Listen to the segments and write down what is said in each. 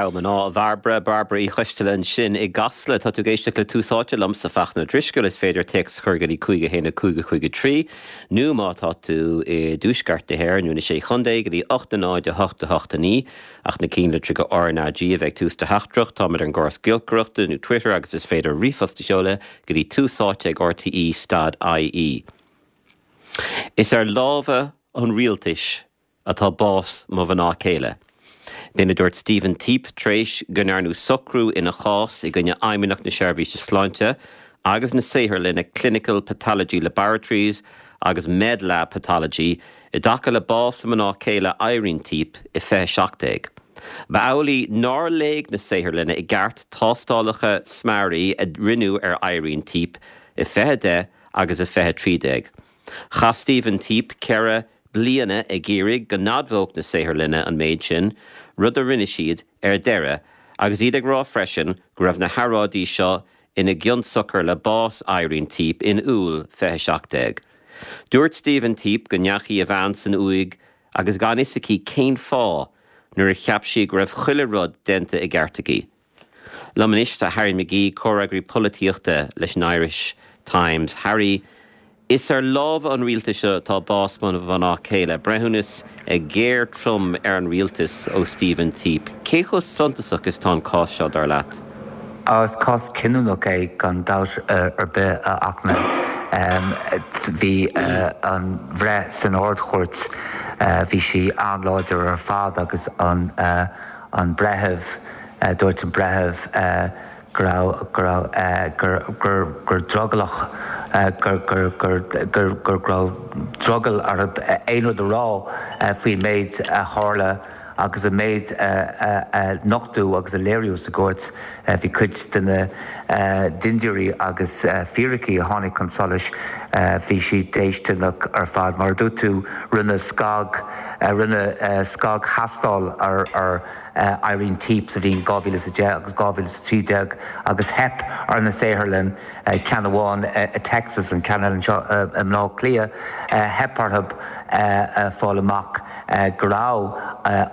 Togha mná, a Bhairbre, Bairbre Uí Choisteala ansin i gCasla. Tá tú ag éisteacht le Tús Áite liomsa, Fachtna Ó Drisceoil. Is féidir téacs a chur go dtí 5 1 5 5 3 nó má tá tú i dtuaisceart na hÉireann nó na Sé Chontae go dtí 8 0 8 8 9 ach na cinnlitreacha RnaG a bheith ag tús do theachtaireacht. Táimid ar an gcóras giolcaireachta nó Twitter agus is féidir ríomhphost a sheoladh go dtí túsáite ag rte stad ie. Is ar lámha an rialtais atá bás mo mhná céile. B'in a dúirt Stephen Teap tar éis go ndearnadh socrú ina chás i gcoinne Fheidhmeannacht na Seirbhíse Sláinte agus na saotharlainne Clinical Pathology Laboratories agus Medlab Pathology i dtaca le bás a mná céile Irene Teap i 2017. Ba amhlaidh nár léigh na saotharlanna i gceart tástálacha smearaidh a rinneadh ar Irene Teap i 2010 agus i 2013. Chaith Stephen Teap 4 bliana ag iarraidh go n-admhódh na saotharlanna an méid sin, rud a rinne siad ar deireadh, agus iad ag rá freisin go raibh na hearráidí seo ina gcionsiocair le bás Irene Teap in Iúil 2017. Dúirt Stephen Teap go ndeachaigh a bhean san uaigh agus gan fhios aici cén fáth nuair a cheap sí go raibh chuile rud déanta i gceart aici. Liom anois tá Harry McGee, comhfhreagraí polaitíochta leis an Irish Times. Harry, is ar lámha an rialtais atá bás mo mhná céile. Breithiúnas géar trom ar an rialtas ó Stephen Teap. Cé chomh suntasach is atá an cás seo, dar leat? Is cás cinniúnach é gan dabht ar bith, a Fhachtna. Bhí an bhreith san Ard-Chúirt, bhí sí an-láidir ar fad agus an an breitheamh, dúirt an breitheamh go raibh, go raibh, gur, gur, gur drogallach, gur, gur, gur, gur, gur, go raibh drogall orthu aon rud a rá faoin méid a tharla agus an méid a nochtadh agus a léiríodh sa gcúirt. Bhí cuid de na dintiúirí agus fíricí a tháinig chun solais, bhí siad déistineach ar fad. Mar a dúirt tú, rinneadh scag, rinneadh scagthástáil ar Irene Teap sa bhliain 2010 agus 2013 agus theip ar na saotharlann, ceann amháin i Texas, an ceann eile anseo i mBleá Cliath, theip orthu fáil amach go raibh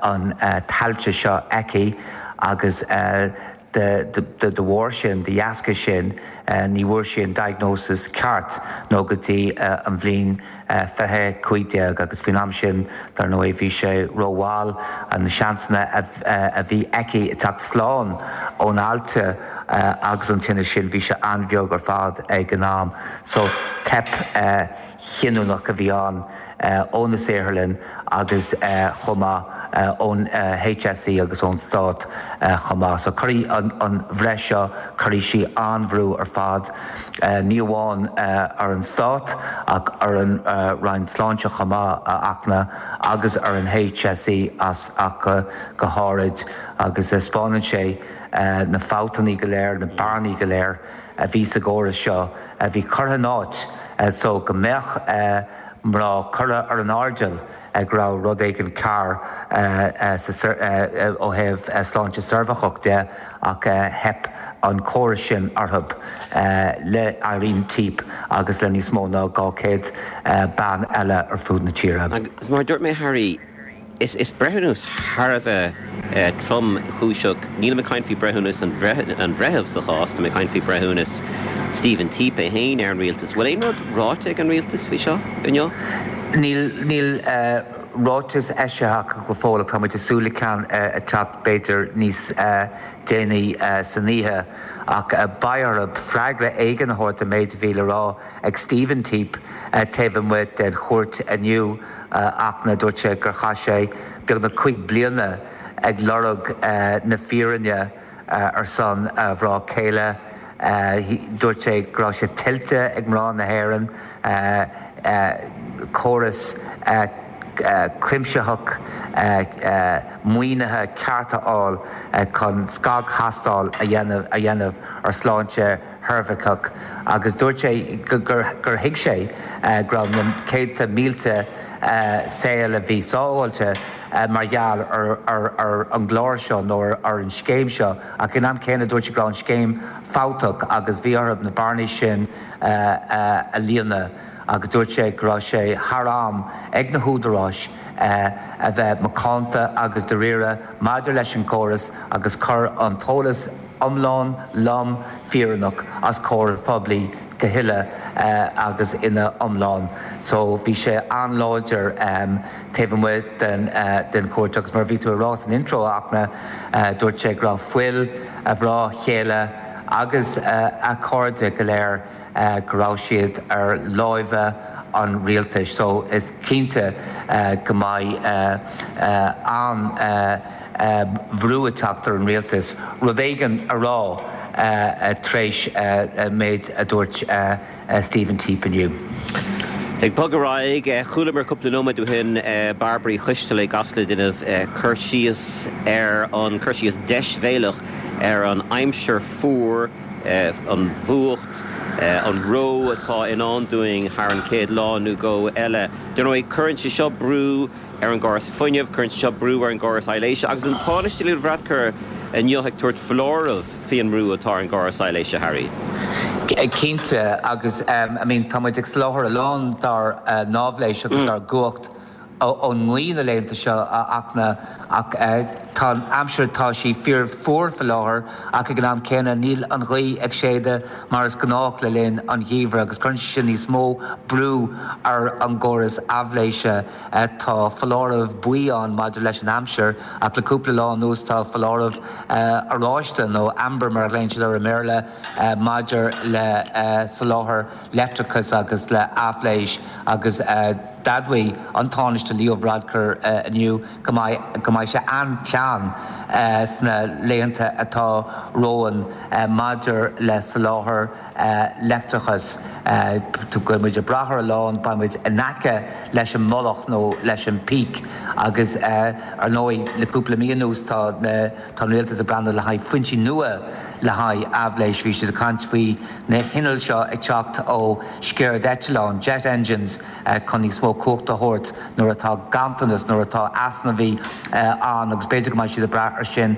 an t-ailse seo aici agus de bharr sin, de dheasca sin, ní bhfuair sí an diagnosis ceart nó go dtí an bhliain 2015 agus faoin am sin, dar ndóigh, bhí sé rómhall. Na seansanna a bhí aici teacht slán ón ailse agus an tinneas sin, bhí sé an-bheag ar fad ag an am. So, teip chinniúnach a bhí ann ó na saotharlann agus chomh maith ón HSE agus ón Stát chomh maith. So cuirfidh an bhreith seo, cuirfidh sí an-bhrú ar fad, ní amháin ar an Stát ach ar an Roinn Sláinte chomh maith, a Fhachtna, agus ar an HSE as ach go háirid agus spáineann sé na fabhtanna go léir, na bearnaí go léir a bhí sa gcóras seo a bhí curtha in áit so go mbeadh mná curtha ar an airdeall go raibh rud éigin cearr ó thaobh sláinte ceirbheacach de ach theip an córas sin orthu le Irene Teap agus le níos mó ná 200 bean eile ar fud na tíre. Agus mar a dúirt mé Harry, Is breithiúnas thar a bheith tromchúiseach. Nílim ag caint faoi breithiúnas an bhreithimh sa chás, tá mé ag caint faoi breithiúnas Stephen Teap é féin ar an rialtas. Bhfuil aon rud ráite ag an rialtas faoi seo inniu? Níl, níl ráiteas eisithe acu go fóill ach tá muid ag súil le ceann a teacht b'fhéidir níos déanaí san oíche. Ach beidh orthu freagra éigin a thabhairt an méid a bhí le rá ag Stephen Teap taobh amuigh den chúirt inniu, a Fhachtna. Dúirt sé gur chaith sé beagnach 5 bliana ag lorg na fírinne ar son a mhná céile. Dúirt sé go raibh sé tuillte ag mná na hÉireann córas cuimsitheach maoinithe ceart a fháil chun scagthástáil a dhéanamh ar shláinte cheirbheacach agus dúirt sé gur thuig sé go raibh na céadta mílte saol a bhí sábháilte mar gheall ar an gclár seo nó ar an scéim seo ach ag an am céanna dúirt sé go raibh an scéim fabhtach agus bhí orthu na bearnaí sin a líonadh agus dúirt sé go raibh sé thar am ag na húdaráis. a bheith macánta agus dáiríre maidir leis an gcóras agus cur an t-eolas iomlán, lom, fírinneach os comhair an phobail go huile agus ina iomlán. So bhí sé an-láidir taobh amuigh den den chúirt agus mar a bhí tú ag rá san intro, a Fhachtna, dúirt sé go raibh fuil a mhná chéile agus a chairde go léir go raibh siad ar láimhe an rialtais. So is cinnte go mbeidh an bhrú ag teacht ar an rialtas rud éigin a rá tar éis an méid a dúirt Stephen Teap inniu. Ag bogadh ar aghaidh, chualamar cúpla nóiméad ó shin Bairbre Uí Choisteala i gCasla ag déanamh cur síos ar an, cur síos deisbhéalach ar an aimsir fuar, an bhfuacht, an reo atá i ndán dúinn thar an chéad lá nó dhó eile. Dar ndóigh, cuireann sé seo brú ar an gcóras fuinnimh, cuireann sé seo brú ar an gcóras aibhléise agus an Tánaiste Leo Varadkar inniu ag tabhairt foláireamh faoin mbrú atá ar an gcóras aibhléise, Harry. Cinnte, agus I mean tá muid ag soláthar a lán dár n-áibhléis agus dár gcumhacht ón ngaoth na laethanta seo, a Fhachtna, ach tá an aimsir, tá sí fíor fuar faoi láthair ach ag an am céanna níl an ghaoth ag séideadh mar is gnách le linn an gheimhridh agus cuireann sé sin níos mó brú ar an gcóras aibhléise. Tá foláireamh buí ann maidir leis an aimsir ach le cúpla lá anuas tá foláireamh oráiste, nó amber mar a ghlaonn siad air i mBéarla, maidir le soláthar leictreachais agus le haibhléis agus d'admhaigh an Tánaiste Leo Varadkar inniu go mbeidh go mbeidh sé an-teann sna laethanta atá romhainn maidir le soláthar leictreachais. Go bhfuil muid ag brath ar a lán, beidh muid in aice leis an mullach nó leis an peak agus ar ndóigh le cúpla mí anuas tá na tá an rialtas ag breathnú le haghaidh foinsí nua le haghaidh aibhléis. Bhí siad ag caint faoi na hinnill seo ag teacht ó sceird-eitleáin, jet engines, chun níos mó cumhachta a thabhairt nuair atá ganntanas, nuair atá easnamhaí ann agus b'fhéidir go mbeidh siad ag brath ar sin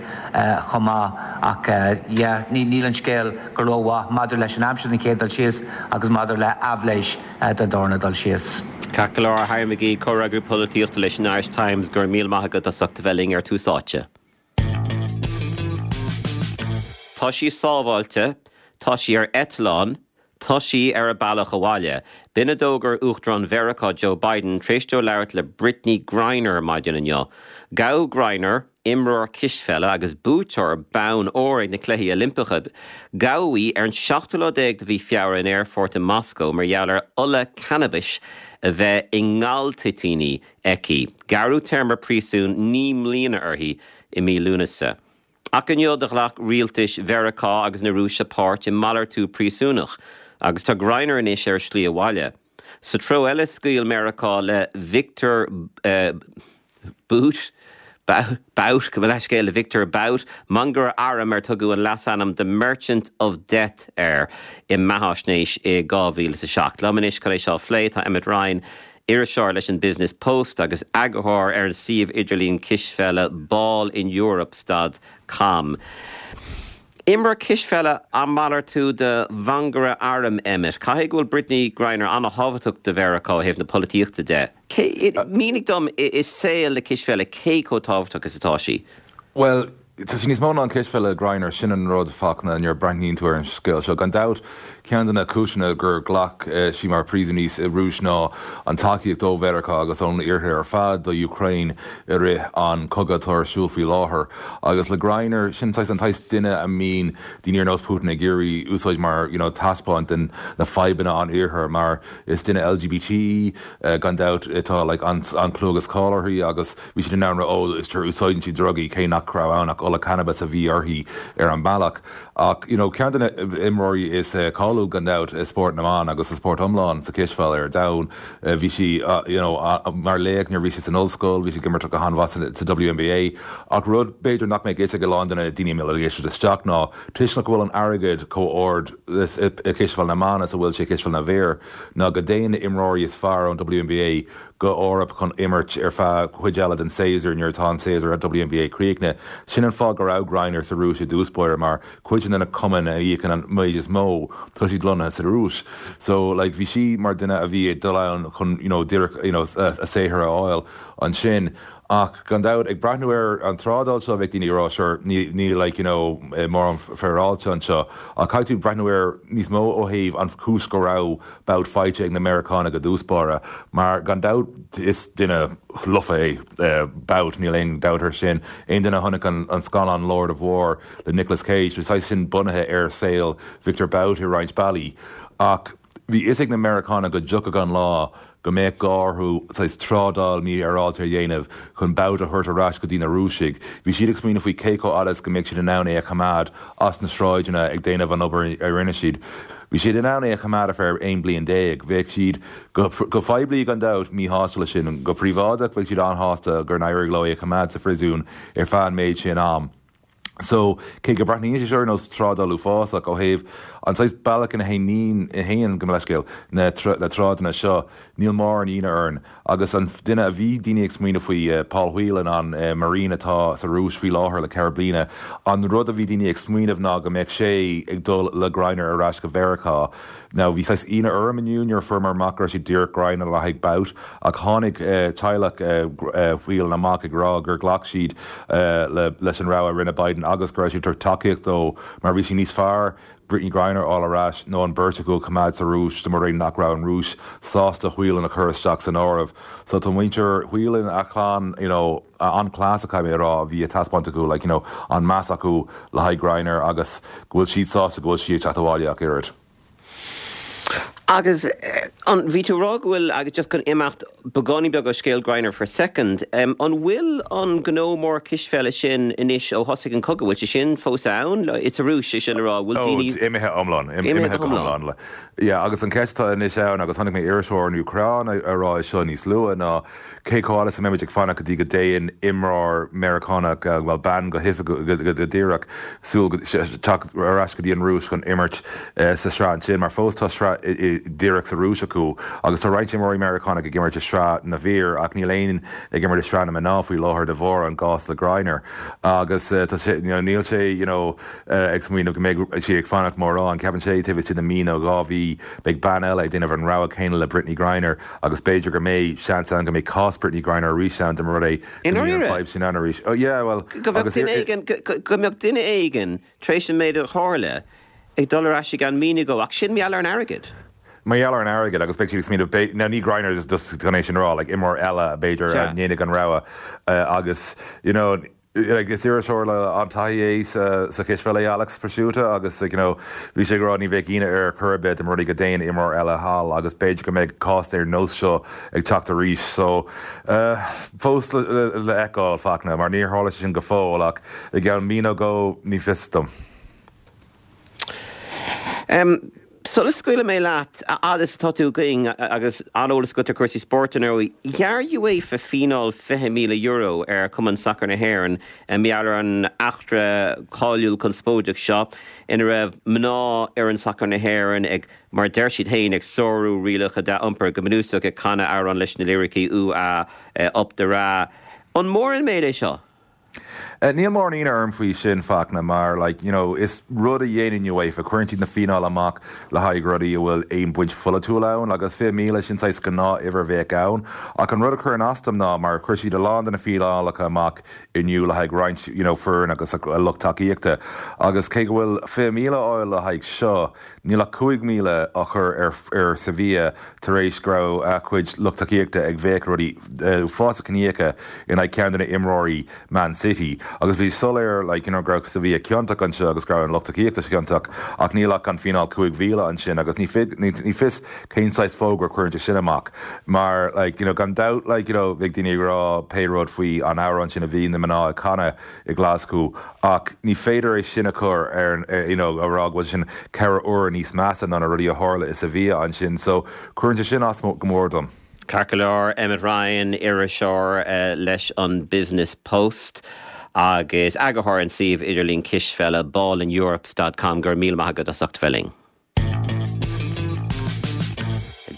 chomh maith. Ach yeah, níl an scéal go rómhaith maidir leis an aimsir den chéad dul síos agus maidir le haibhléis den darna dul síos. Ceart go leor, Harry McGee, Comhfhreagraí Polaitíochta leis an Irish Times, go raibh míle maith agat as ucht a bheith linn ar Tús Áite. Tá sí sábháilte, tá sí ar eitleán, Tá sí ar a bealach abhaile. B'in a d'fhógair Uachtarán Mheiriceá Joe Biden tar éis dó labhairt le Brittney Griner maidin inniu. Gabhadh Griner, imreoir cispheile agus buaiteoir bonn óir ag na Cluichí Oilimpeacha, gabhadh í ar an seachtú lá déag de mhí Feabhra in aerfort i Moscó mar gheall ar ola cannabais a bheith i ngaltoitíní aici. Gearradh téarma príosúin 9 mbliana uirthi i mí Lúnasa. Ach inniu do ghlac rialtais Mheiriceá agus na Rúise páirt i malartú príosúnach agus tá Griner anois ar a slí abhaile. Sa treo eile scaoil Meiriceá le Viktor Bout, Bout, gabh mo leithscéal, le Viktor Bout, mangaire airm ar tugadh an leasainm The Merchant of Death air i mbeathaisnéis i 2007. Liom anois chun é seo a phlé tá Emmet Ryan, iriseoir leis an Business Post agus eagarthóir ar an suíomh idirlín cispheile ballineurope stad com. Imreoir cispheile á malartú do mhangaire airm, Emmet. Caithfidh go bhfuil Brittney Griner an-thábhachtach do Mheiriceá ó thaobh na polaitíochta de. Cé, mínigh dom i saol na cispheile cé chomh tábhachtach is atá sí? Bhuel, Tá sí níos mó ná an cispheile, Griner, sin an rud, Fachtna, nuair a breathnaíonn tú ar an scéal seo. Gan dabht, ceann de na cúiseanna gur ghlac sí mar phríosúnaí sa Rúis ná an tacaíocht ó Mheiriceá agus ón Iarthar ar fad do Ukraine i rith an cogadh atá ar siúl faoi láthair. Agus le Griner, sin saghas an saghas duine a mbíonn daoine ar nós Putin ag iarraidh úsáid mar you know taispeáint den na fadhbanna an Iarthair mar is duine LGBT í, gan dabht, tá like an clú agus cáil uirthi agus Bhí siad in ann rá, ó, is sure úsáideann sí drugaí, cé nach raibh ann ach ola cannabis a bhí uirthi ar an mbealach. Ach, you know, ceann de na imreoirí is cáiliúil gan dabht i spórt na mban agus sa spórt iomlán sa chispheil ar domhan. Bhí sí, you know, mar laoch nuair a bhí sí san ollscoil, bhí sí ag imirt go han-mhaith sa WNBA. Ach rud b'fhéidir nach mbeadh fhios ag a lán de na daoine a mbíonn ag éisteacht isteach ná toisc nach bhfuil an airgead chomh ard i cispheil na mban is a bhfuil sé i cispheil na bhfear ná go dtéann na imreoirí is fearr ón WNBA. Go Eoraip chun imirt ar feadh cuid eile den séasúr nuair atá an séasúr WNBA críochnaithe. Sin an fáth go raibh Griner sa Rúis i dtús báire mar cuid de na cumainn a íocann an méid is mó tá siad lonnaithe sa Rúis. So like bhí sí mar duine a bhí ag dul ann chun you know díreach you know a saothar a fháil ansin. Ach gan dabht ag breathnú ar an trádáil seo bheadh daoine ag rá sure níl like you know mórán féaráilte anseo ach caithfidh tú breathnú air níos mó ó thaobh an chúis go raibh Bout faighte ag na Meiriceánaigh i dtús báire, mar gan dabht is duine lofa é Bout, níl aon dabht air sin. Aon duine a chonaic an scannán Lord of War le Nicolas Cage, tá sé sin bunaithe ar saol Victor Bout i roinnt bealaí. Ach bhí fhios ag na Meiriceánaigh go dtiocfadh an lá go mbeadh gá orthu saghas trádáil mífhéaráilte a dhéanamh chun Bout a thabhairt ar ais go dtí na Rúisigh. Bhí siad ag smaoineamh faoi cé chomh fada is go mbeadh siad in ann é a choimeád as na sráideanna ag déanamh an obair a rinne siad. Bhí siad in ann é a choimeád ar feadh 11 bliain. Bheadh siad, go poiblí gan dabht, míshásta leis sin. Go príobháideach, bheadh siad an-shásta gur éirigh leo é a choimeád sa phríosún ar feadh an méid sin am. So, cé go mbreathnaíonn sé seo ar nós trádáil uafásach, ó thaobh an saghas bealach ina théann, gabh mo leithscéal, na trádanna seo, níl mórán ionadh orainn. Agus an duine a bhí daoine ag smaoineamh faoi, Paul Whelan, an Marine atá sa Rúis faoi láthair le ceithre bliana, an rud a bhí daoine ag smaoineamh ná go mbeadh sé ag dul le Griner ar ais go Mheiriceá. Now bhí saghas ionadh orm inniu nuair a fuaireamar amach go raibh siad díreach Griner le haghaidh Bout ach tháinig teaghlach Whelan amach ag rá gur ghlac siad leis an rogha a rinne Biden agus go raibh siad ag tabhairt tacaíocht dó mar bhí sé níos fearr Brittney Griner a fháil ar ais nó an beirt acu a choimeád sa Rúis dá mba rud é nach raibh an Rúis sásta Whelan a chur isteach san áireamh. So tá muintir Whelan, a chlann, you know, an-chleas caithfidh mé a rá a bhí á taispeáint acu, like, you know, an meas acu le haghaidh Griner agus go bhfuil siad sásta go bhfuil sí ag teacht abhaile ach oiread. Agus an, bhí tú ag rá go bhfuil, agus just chun imeacht beagáinín beag ó scéal Griner for a second, an bhfuil an gnó mór cispheile sin anois ó thosaigh an cogadh, bhfuil sé sin fós ann? Sa Rúis, é sin le rá, bhfuil daoine. Oh, imithe iomlán, imithe go hiomlán. Yeah, agus an ceist atá anois ann, agus chonaic mé iriseoir ón Úcráin ag rá é seo níos luaithe, ná Cé chomh fada is a mbeimid ag fanacht go dtí go dtéann imreoir Meiriceánach, bhuel, bean go hoifigiúil, go díreach, súil go, teacht ar ais go dtí an Rúis chun imirt sa sraith ansin, mar fós tá sraith díreach sa Rúis acu agus tá roinnt imreoirí Meiriceánach ag imirt i sraith na bhfear ach níl aon ag imirt i sraith na mná faoi láthair de bharr an gcás le Griner agus tá sé, you know, níl sé, you know, ag smaoineamh go mbeidh sí ag fanacht mórán. Ceapann sé taobh istigh de mí nó 2 mhí beidh bean eile ag déanamh an rogha céanna le Brittney Griner. Agus b'fhéidir go mbeidh seans ann go mbeidh cás Brittney Griner arís ann dá mba rud é go mbíonn an fadhb sin ann arís. Oh yeah, well, Go mbeadh duine éigin, go mbeadh duine éigin, tar éis an méid a tharla, ag dul ar ais i gceann mí nó dhó, ach sin mar gheall ar an airgead. Mar gheall ar an airgead, agus beidh siad ag smaoineamh, beidh, now ní Griner just chun é sin a rá, like imreoir eile b'fhéidir a ndéanfaidh an rogha agus, you know, Like, is iriseoir le an-taithí é sa chispheil é Alex Prosciutto agus like, you know, bhí sé ag rá ní bheadh ionadh air chor ar bith dá mba rud é go dtéann imreoir eile thall agus b'fhéidir go mbeidh cás ar nós seo ag teacht arís. So, eh, fós le, le, le feiceáil, Fachtna, mar níor tharla sé sin go fóill ach i gceann mí nó dhó, ní fios dom. Sula scaoilfidh mé leat, a fhad is atá tú againn agus an-eolas agat ar chúrsaí spóirt, ar ndóigh, ghearr UEFA fíneáil €20,000 ar Chumann Sacair na hÉireann mar gheall ar an eachtra cáiliúil conspóideach seo ina raibh mná fhoireann sacair na hÉireann ag, mar a deir siad féin, ag sárú rialacha dea-iompair, go bunúsach ag canadh amhrán leis na liricí Ooh Ah Up the Ra. An mór an méid é seo? Níl mórán ionadh orm faoi sin, Fachtna, mar like, you know, is rud a dhéanann UEFA, cuireann siad na fíneáil amach le haghaidh rudaí a bhfuil aon baint pholaitiúil ann, agus 20,000 sin saghas gnáth-uimhir a bheadh ann. Ach an rud a chuireann as dom ná mar chuir siad a lán de na fíneálacha amach inniu le haghaidh roinnt, you know, foireann agus a lucht tacaíochta, agus cé go bhfuil 20,000 á fháil le haghaidh seo, Níl ach 5,000 á chur ar ar Sevilla tar éis go raibh a cuid lucht tacaíochta ag béiceadh rudaí uafásacha ciníocha in aghaidh ceann de na imreoirí Man City agus bhí soiléir like you know go raibh Sevilla ciontach anseo agus go raibh an lucht tacaíochta ciontach ach níl ach an fíneáil 5,000 ansin agus ní ní fios cén saghas fógra a chuireann sé sin amach mar like you know gan dabht like you know bheadh daoine ag rá pé rud faoi an amhrán sin a bhí na mná ag canadh i nGlaschú ach ní féidir é sin a chur ar an you know a rá go bhfuil sin ceithre huaire níos measa ná na rudaí a tharla i Sevilla ansin so cuireann sé sin as go mór dom. Ceart go leor, Emmet Ryan, iriseoir leis an Business Post agus eagarthóir an suíomh idirlín cispheile ballineurope dot com, go raibh míle maith agat as ucht bheith linn.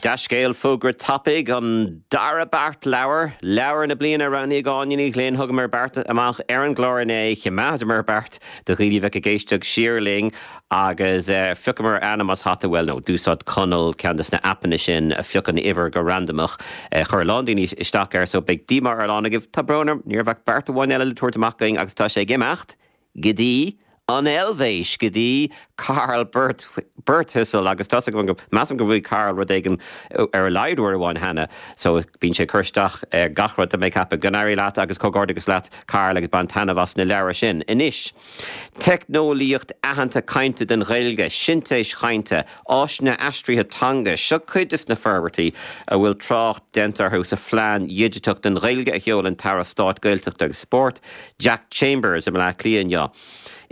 Dea-scéal, fógra tapaidh, an dara beart leabhar, leabhar na bliana a roghnaigh Áine Ní Ghlinn. Thugamar beart amach ar an gclár inné, choimeádamar beart do dhaoine a bheadh ag éisteacht siar linn agus phiocamar ainm as hata, bhuel no, d'úsáid Conall ceann de na aipeanna sin a phiocann uimhir go randamach. Chuir a lán daoine isteach air so beidh díomá ar a lán agaibh. Tá brón orm, ní raibh ach beart amháin eile le tabhairt amach againn agus tá sé ag imeacht go dtí an Eilvéis, go dtí Karl Birthistle agus tá's agam go, measaim go bhfuair Karl rud éigin ar a laghad uair amháin cheana so bíonn sé ag cur isteach ar gach rud tá mé ag ceapadh. Go n-éirí leat agus comhghairdeachas leat Karl agus bain taitneamh as na leabhair sin. Anois, teicneolaíocht aitheanta cainte don Ghaeilge, sintéis chainte, áiseanna aistrithe teanga, seo cuid des na forbairtí a bhfuil trácht déanta orthu sa phlean dhigiteach don Ghaeilge a sheol an tAire Stáit Gaeltachta agus Spóirt, Jack Chambers i mBleá Cliath inniu.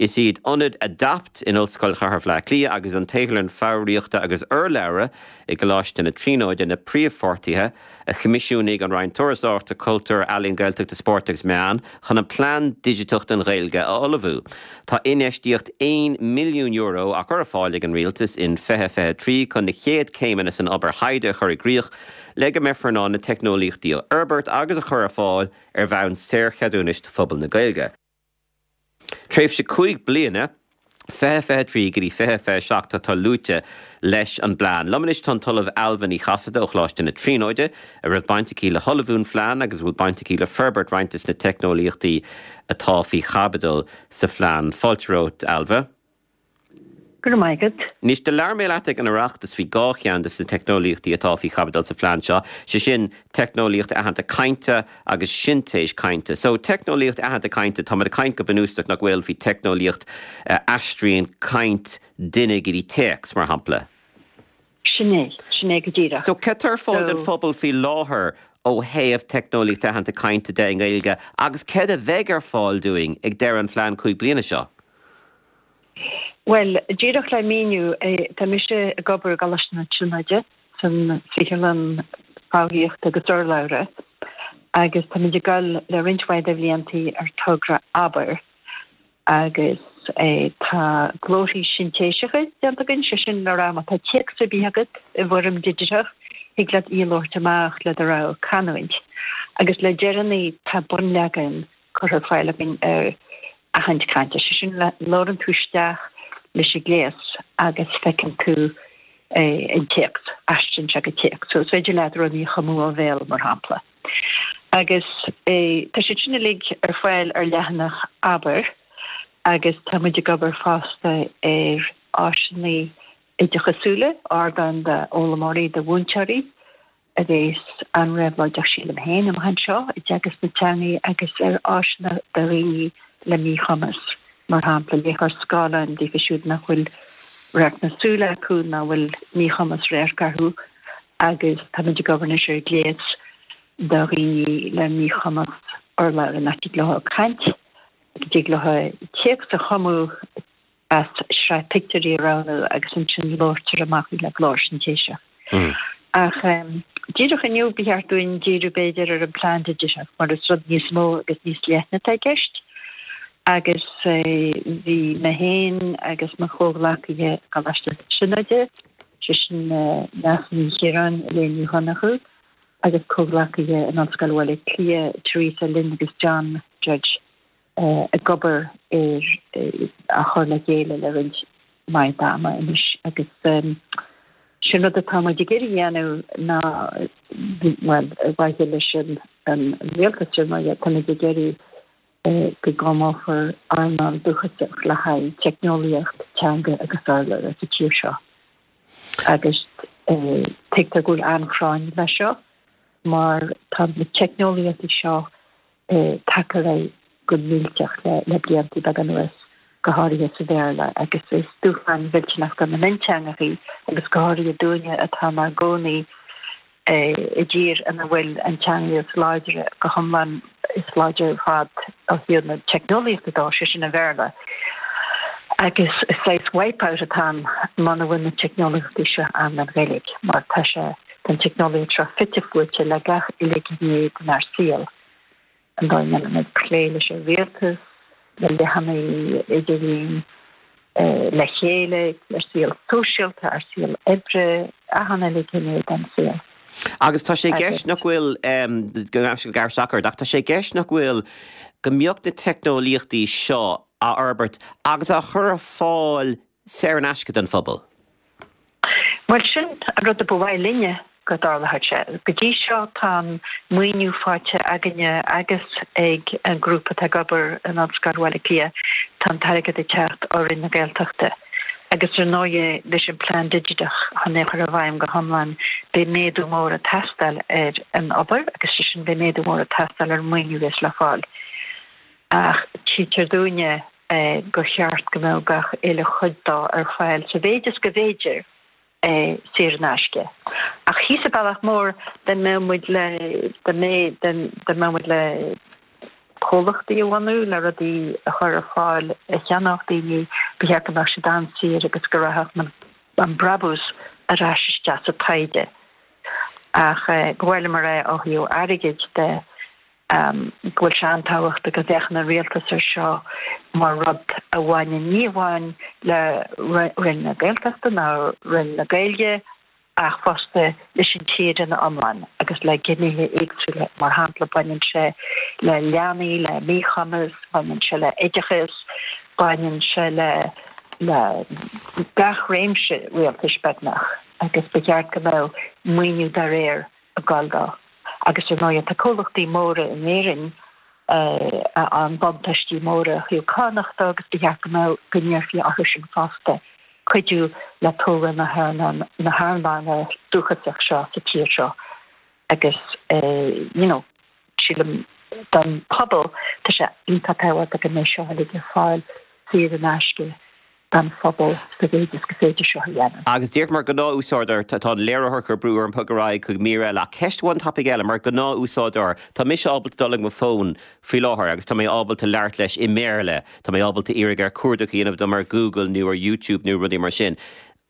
Is iad Ionad Adapt in Ollscoil Chathair Bhaile Átha Cliath agus an tSaotharlann Foghraíochta agus Urlabhra i gColáiste na Tríonóide na príomhpháirtithe a choimisiúnaigh an Roinn Turasóireachta, Cultúir, Ealaíon, Gaeltachta, Spóirt agus Meán chun an Plean Digiteach don Ghaeilge a ullmhú. Tá infheistíocht €1 milliún á cur ar fáil ag an Rialtas in 2023 chun na chéad chéimeanna san obair thaighde a chur i gcrích le go mbeifear in ann na teicneolaíochtaí a fhorbairt agus a chur ar fáil ar bhonn saorcheadúnais do phobal na Gaeilge. Tréimhse 5 bliana, 2023 go dtí 2027, atá luaite leis an bplean. Liom anois tá an tOllamh Ailbhe Ní Chasaide ó Choláiste na Tríonóide, a raibh baint aici le hullmhú an phlean agus a bhfuil baint aici le forbairt roinnt de na teicneolaíochtaí atá faoi chaibidil sa phlean. Fáilte romhat, Ailbhe. Go raibh maith agat. Anois, do labhair mé leat ag an Oireachtas faoi dhá cheann de na teicneolaíochtaí atá faoi chaibidil sa phlean seo, sé sin teicneolaíocht aitheanta cainte agus sintéis cainte. So, teicneolaíocht aitheanta cainte, táimid ag caint go bunúsach, nach bhfuil, faoi teicneolaíocht a aistríonn caint duine go dtí téacs, mar shampla. Sin é, sin é go díreach. So, cad tá ar fáil don phobal faoi láthair ó thaobh teicneolaíocht aitheanta cainte de i nGaeilge agus céard a bheidh ar fáil dúinn ag deireadh an phlean 5 bliana seo? Bhuel, díreach le míniú, tá mise ag obair i gColáiste na Tríonóide san Saotharlann Foghraíochta agus Urlabhra agus táimid ag dul le roinnt mhaith de bhliantaí ar togra Abair agus tá glórthaí sintéiseacha déanta againn, sé sin le rá má tá téacs ar bith agat i bhfoirm digiteach, thig leat í a labhairt amach le do rogha canúint. Agus le deireanaí tá bunleagan curtha ar fáil againn ar aithint cainte, sé sin labhrann tú isteach leis an gléas agus feiceann tú an téacs, aistríonn sé go téacs. So is féidir leat rudaí a chumadh ó bhéal, mar shampla. Agus tá siad sin uilig ar fáil ar leathanach Abair agus tá muid ag obair fosta ar áiseanna oideachasúla, ardáin d'fhoghlaimeoirí, do mhúinteoirí, a bhéas an-réabhlóideach sílim féin amach anseo i dteagasc na teangaí agus ar áiseanna do dhaoine le míchumas, mar shampla léitheoir scáileáin daofa siúd nach bhfuil radharc na súl acu nó a bhfuil míchumas radhairc orthu agus táimid ag obair anois ar ghléas do dhaoine le míchumas urlabhra nach dtig leo caint, go dtig leo téacs a chumadh as sraith pictiúirí a roghnú agus ansin labhartar amach í le glór sintéiseach. Ach díreach inniu ba cheart dúinn díriú b'fhéidir ar an bplean digiteach mar is rud níos mó agus níos leithne atá i gceist agus bhí mé féin agus mo chomhghleacaithe i gColáiste na Tríonóide, sé sin Neasa Ní Chiaráin, Elaine Ní Dhonnchú agus comhghleacaithe in Ollscoil Bhaile Átha Cliath, Teresa Lynn agus John Judge, ag obair air á chur le chéile le roinnt mhaith d'ama anois agus sin rud atá muid ag iarraidh a dhéanamh ná, bhuel, ar mhaithe leis an rialtas ar ndóigh, táimid ag iarraidh go gcruthófar earnáil dúchasach le haghaidh teicneolaíocht teanga agus urlabhra sa tír seo agus tuigtear go bhfuil an-phráinn leis seo mar tá na teicneolaíochtaí seo tagtha ar aghaidh go millteach le blianta beaga anuas, go háirithe sa Bhéarla, agus is dúshlán mhillteanach do na mionteangachaí agus go háirithe dúinne atá inár gcónaí i dtír ina bhfuil an teanga is láidre go hiomlán, is láidre ar fad ó thaobh na teicneolaíochta dó, sé sin an Bhéarla. Agus is saghas wipe-out atá ann muna bhfuil na teicneolaíochtaí seo ann don Ghaeilge, mar tá sé Tá an teicneolaíocht seo fite fuaite le gach uile ghné denár saol, an dóigh a ndéanaimid plé leis an rialtas, le leathanaigh idirlín, le chéile, le saol sóisialta, ár saol oibre. achan uile ghné den saol. Agus tá sé i gceist nach bhfuil, go gearr isteach ort, ach tá sé i gceist nach bhfuil, go mbeadh na teicneolaíochtaí seo á fhorbairt agus á chur ar fáil saor in aisce don phobal. Bhuel, sin an rud a ba mhaith linne go dtarlódh sé. Go dtí seo tá an maoiniú faighte againne agus ag an grúpa atá ag obair in Ollscoil Bhaile Átha Cliath, tá an t-airgead ag teacht ó Roinn na Gaeltachta. Agus ar ndóighe leis an bplean digiteach chun é a chur i bhfeidhm go hiomlán beidh méadú mór ag teastáil ar an obair agus sé sin beidh méadú mór ag teastáil ar an maoiniú a bheas le fáil. Ach tchítear dúinne gur cheart go mbeadh gach uile chuid dó ar fáil sa mhéid is go bhféidir saor in aisce. Ach thíos sa bealach mór dá mbeadh muid le dá mbeadh dá mbeadh muid le comhlachtaí a bhunú le rudaí a chur ar fáil a cheannódh daoine, ba cheart go mbeadh siad an-saor agus go rachadh an brabús ar ais isteach sa taighde. Ach ba mhaith liom a rá ó thaobh airgid de, go bhfuil sé an-tábhachtach go bhféachann an rialtas ar seo mar rud a bhaineann ní amháin le Roinn na Gaeltachta ná Roinn na Gaeilge ach fosta leis an tír ina iomlán agus le gnéithe éagsúla. Mar shampla, baineann sé le leanaí le míchumas, baineann sé le oideachas, baineann sé le le gach réimse rialtais beagnach agus ba cheart go mbeadh maoiniú dá réir ag gabháil dó. Agus ar ndóighe tá comhlachtaí móra in Éirinn a fhaigheann buntáistí móra ó thaobh cánach de agus ba cheart go mbeadh, go n-iarrfaí orthu sin fosta cuidiú le tógáil na na hearnála dúchasach seo sa tír seo agus you know sílim don phobal tá sé iontach tábhachtach go mbeidh seo uilig ar fáil saor in aisce don phobal sa mhéid is go féidir seo a dhéanamh. Agus díreach mar ghnáth-úsáideoir, tá an léiritheoir ag cur brú orm bogadh ar aghaidh chuig mír eile, ach ceist amháin tapaidh eile, mar ghnáth-úsáideoir, tá mise ábalta dul ag mo fón faoi láthair agus tá mé ábalta labhairt leis i mBéarla, tá mé ábalta iarraidh air cuardach a dhéanamh dom ar Google nó ar YouTube nó rudaí mar sin.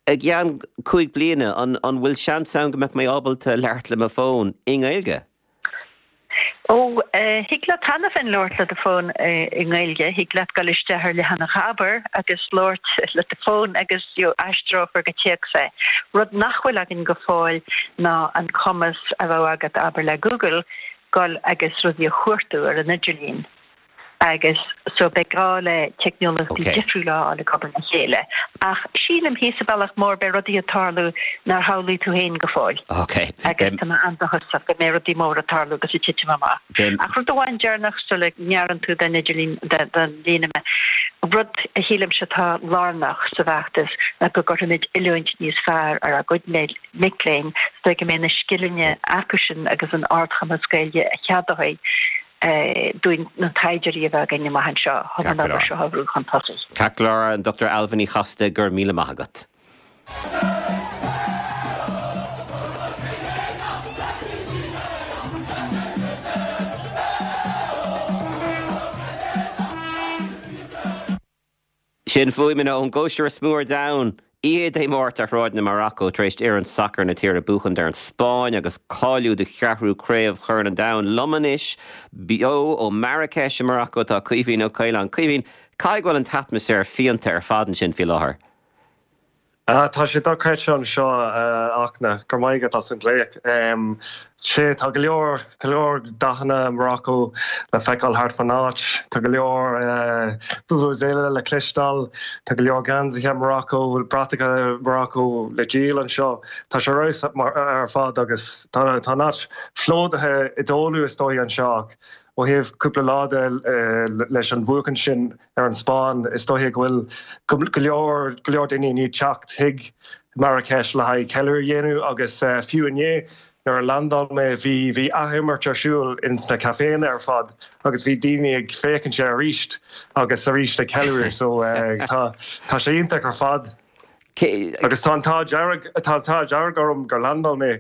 I gceann 5 bliana, an bhfuil seans ann go mbeadh mé ábalta labhairt le mo fón i nGaeilge? Ó, thig leat cheana féin labhairt le do fón i nGaeilge. Thig leat dul isteach ar leathanach Abair agus labhairt le do fón agus aistreofar go téacs é. Rud nach bhfuil againn go fóill ná an cumas a bheadh agat, abair, le Google, dul agus rudaí a chuartú ar an idirlíon. agus so beidh gá le teicneolaíochtaí difriúla a fháil ag obair le chéile. Ach sílim thíos sa bealach mór beidh rudaí ag tarlú nár shamhlaigh tú féin go fóill. Agus tá mé an-dóchasach go mbeidh rudaí móra ag tarlú agus ag titim amach. Ach rud amháin deireanach sula ngearrann tú den idirlíon, den líne mé, rud a shílimse atá lárnach sa bhfeachtas ná go gcuirfimid oiliúint níos fearr ar ár gcuid mic léinn so go mbeidh na scileanna acusan agus an ardchumas Gaeilge a cheadóidh dúinn na taighdeoirí a bheith againn amach anseo chun an obair seo a bhrú chun tosaigh. Ceart go leor, an Dr Ailbhe Ní Chasaide, go raibh míle maith agat. Sin fuaimeanna ón gcóisir is mó ar domhan, oíche Dé Máirt ar shráideanna Maracó tar éis d'fhoireann sacair na tíre buachaint ar an Spáinn agus cáiliú do cheathrú Craobh Chorn an Domhain. Liom anois, beo ó Marrakesh i Maracó tá Caoimhín Ó Caoláin. Caoimhín, caithfidh go bhfuil an t-atmaisféar fiánta ar fad ansin faoi láthair? Tá sé dochreidte anseo, a Fhachtna. Go raibh maith agat as an ghlaoch. Sea, tá go leor, go leor dathanna Morocco le feiceáil thart fán áit. Tá go leor vuvuzela le cloisteáil. Tá go leor geansaithe Morocco, bratacha Morocco le díol anseo. Tá sé ar fheabhas ar fad agus tá an áit plódaithe i dtólamh is dóigh anseo ach ó thaobh cúpla lá de leis an bhuachaint sin, ar an Spáinn. Is dóiche go bhfuil go leor, go leor daoine i ndiaidh teacht chuig Marrakesh le haghaidh ceiliúradh a dhéanamh agus fiú inné nuair a landáil mé bhí, bhí athimirt ar siúl ins na caiféanna ar fad agus bhí daoine ag féachaint air arís agus arís ag ceiliúradh so tá, tá sé iontach ar fad. Agus tá an t-ádh dearg, tá an t-ádh dearg orm gur landáil mé